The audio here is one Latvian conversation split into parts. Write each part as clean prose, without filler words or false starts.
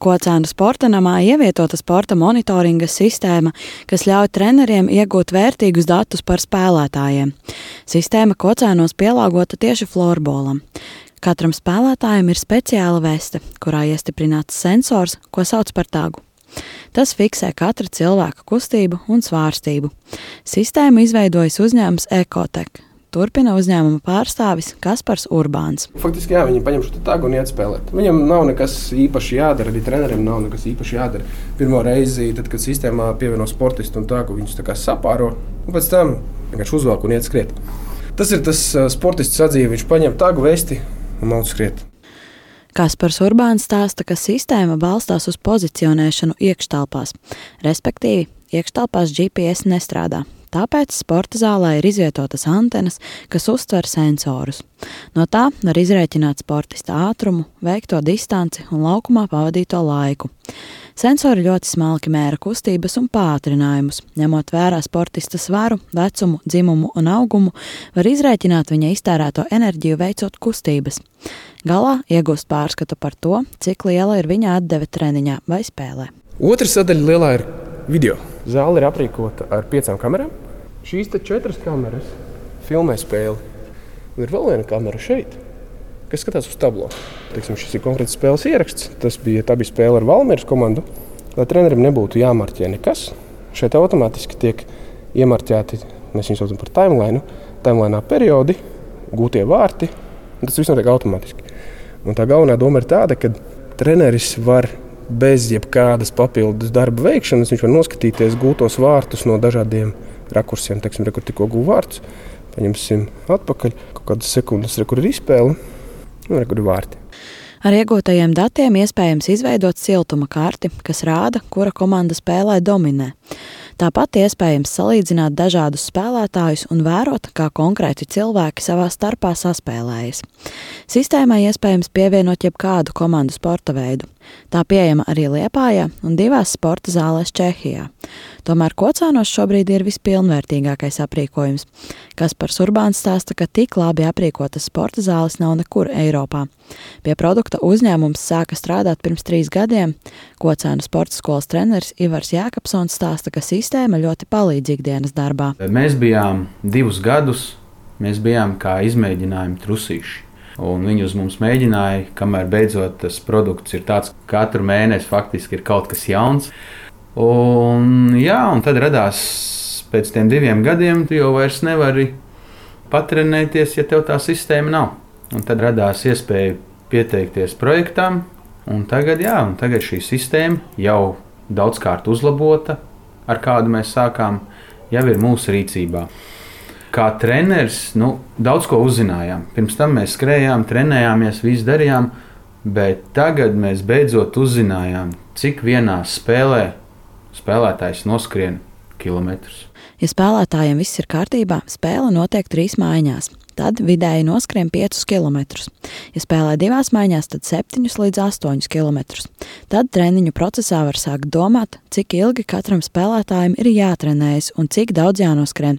Kocēnu sporta namā ievietota sporta monitoringa sistēma, kas ļauj treneriem iegūt vērtīgus datus par spēlētājiem. Sistēma Kocēnos pielāgota tieši florbolam. Katram spēlētājam ir speciāla veste, kurā iestiprināts sensors, ko sauc par tagu. Tas fiksē katra cilvēka kustību un svārstību. Sistēmu izveidojis uzņēmums Ekotek. Turpina uzņēmuma pārstāvis Kaspars Urbāns. Faktiski, viņi paņem šo tagu un iet spēlēt. Viņam nav nekas īpaši jādara, arī treneriem nav nekas īpaši jādara. Pirmo reizi, tad, kad sistēmā pievieno sportistu un tagu, viņus tā kā sapāro, un pēc tam vienkārši uzvelk un iet skriet. Tas ir tas sportists sadzīve, viņš paņem tagu, vesti un mauc skriet. Kaspars Urbāns stāsta, ka sistēma balstās uz pozicionēšanu iekštelpās, respektīvi iekštelpās GPS nestrādā. Tāpēc sporta zālē ir izvietotas antenas, kas uztver sensorus. No tā var izrēķināt sportista ātrumu, veikto distanci un laukumā pavadīto laiku. Sensori ļoti smalki mēra kustības un pātrinājumus. Ņemot vērā sportista svaru, vecumu, dzimumu un augumu, var izrēķināt viņa iztērēto enerģiju veicot kustības. Galā iegūst pārskatu par to, cik liela ir viņa atdeve treniņā vai spēlē. Otra sadaļa lielā ir video. Zāle ir aprīkota ar 5 kamerām. Šīs 4 kameras filmē spēli. Un ir vēl viena kamera šeit, kas skatās uz tablo. Šis ir konkrēts spēles ieraksts. Tā bija spēle ar Valmieras komandu. Lai trenerim nebūtu jāmarķē nekas, šeit automātiski tiek iemarķēti, mēs viņus saucam par timeline, timelinā periodi, gūtie vārti. Tas viss notiek automātiski. Un tā galvenā doma ir tāda, ka treneris var bez jebkādas papildus darba veikšanas, viņš var noskatīties gūtos vārtus no dažādiem rakursiem. Kur tikko guva vārtus, paņemsim atpakaļ, kaut kādas sekundes, kur ir izspēle, un kur ir vārti. Ar iegūtajiem datiem iespējams izveidot siltuma karti, kas rāda, kura komanda spēlē dominē. Tāpat iespējams salīdzināt dažādus spēlētājus un vērot, kā konkrēti cilvēki savā starpā saspēlējas. Sistēmai iespējams pievienot jebkādu komandu sporta veidu. Tā pieejama arī Liepājā un 2 sporta zālēs Čehijā. Tomēr Kocēnos šobrīd ir vispilnvērtīgākais aprīkojums. Kaspars Urbāns stāsta, ka tik labi aprīkotas sporta zāles nav nekur Eiropā. Pie produkta uzņēmums sāka strādāt pirms 3 gadiem. Kocēnu sporta skolas treneris Ivars Jākapsons stāsta, ka sistēma ļoti palīdzīga dienas darbā. Mēs bijām 2 gadus, mēs bijām kā izmēģinājumi trusīši. Un viņi uz mums mēģināja, kamēr beidzot tas produkts ir tāds, ka katru mēnesi faktiski ir kaut kas jauns. Un tad radās pēc tiem 2 gadiem, tu jau vairs nevari patrenēties, ja tev tā sistēma nav. Un tad radās iespēja pieteikties projektam, un tagad šī sistēma jau daudzkārt uzlabota, ar kādu mēs sākām, jau ir mūsu rīcībā. Kā treneris, daudz ko uzzinājām. Pirms tam mēs skrējām, trenējāmies, visu darījām, bet tagad mēs beidzot uzzinājām, cik vienā spēlē spēlētājs noskrien kilometrus. Ja spēlētājiem viss ir kārtībā, spēle notiek 3 maiņās. Tad vidēji noskrien 5 kilometrus. Ja spēlē 2 maiņās, tad 7 līdz 8 kilometrus. Tad treniņu procesā var sākt domāt, cik ilgi katram spēlētājam ir jātrenējas un cik daudz jānoskrien.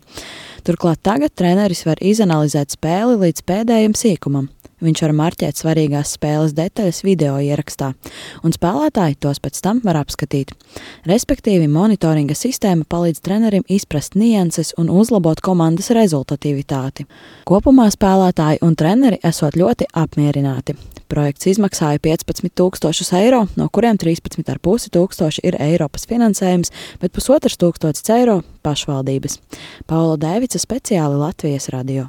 Turklāt tagad treneris var izanalizēt spēli līdz pēdējiem sīkumam. Viņš var marķēt svarīgās spēles detaļas video ierakstā, un spēlētāji tos pēc tam var apskatīt. Respektīvi, monitoringa sistēma palīdz trenerim izprast nianses un uzlabot komandas rezultatīvitāti. Kopumā spēlētāji un treneri esot ļoti apmierināti. Projekts izmaksāja 15,000 eiro, no kuriem 13,500 ir Eiropas finansējums, bet 1,500 eiro pašvaldības. Paula Dēvica, speciāli Latvijas radio.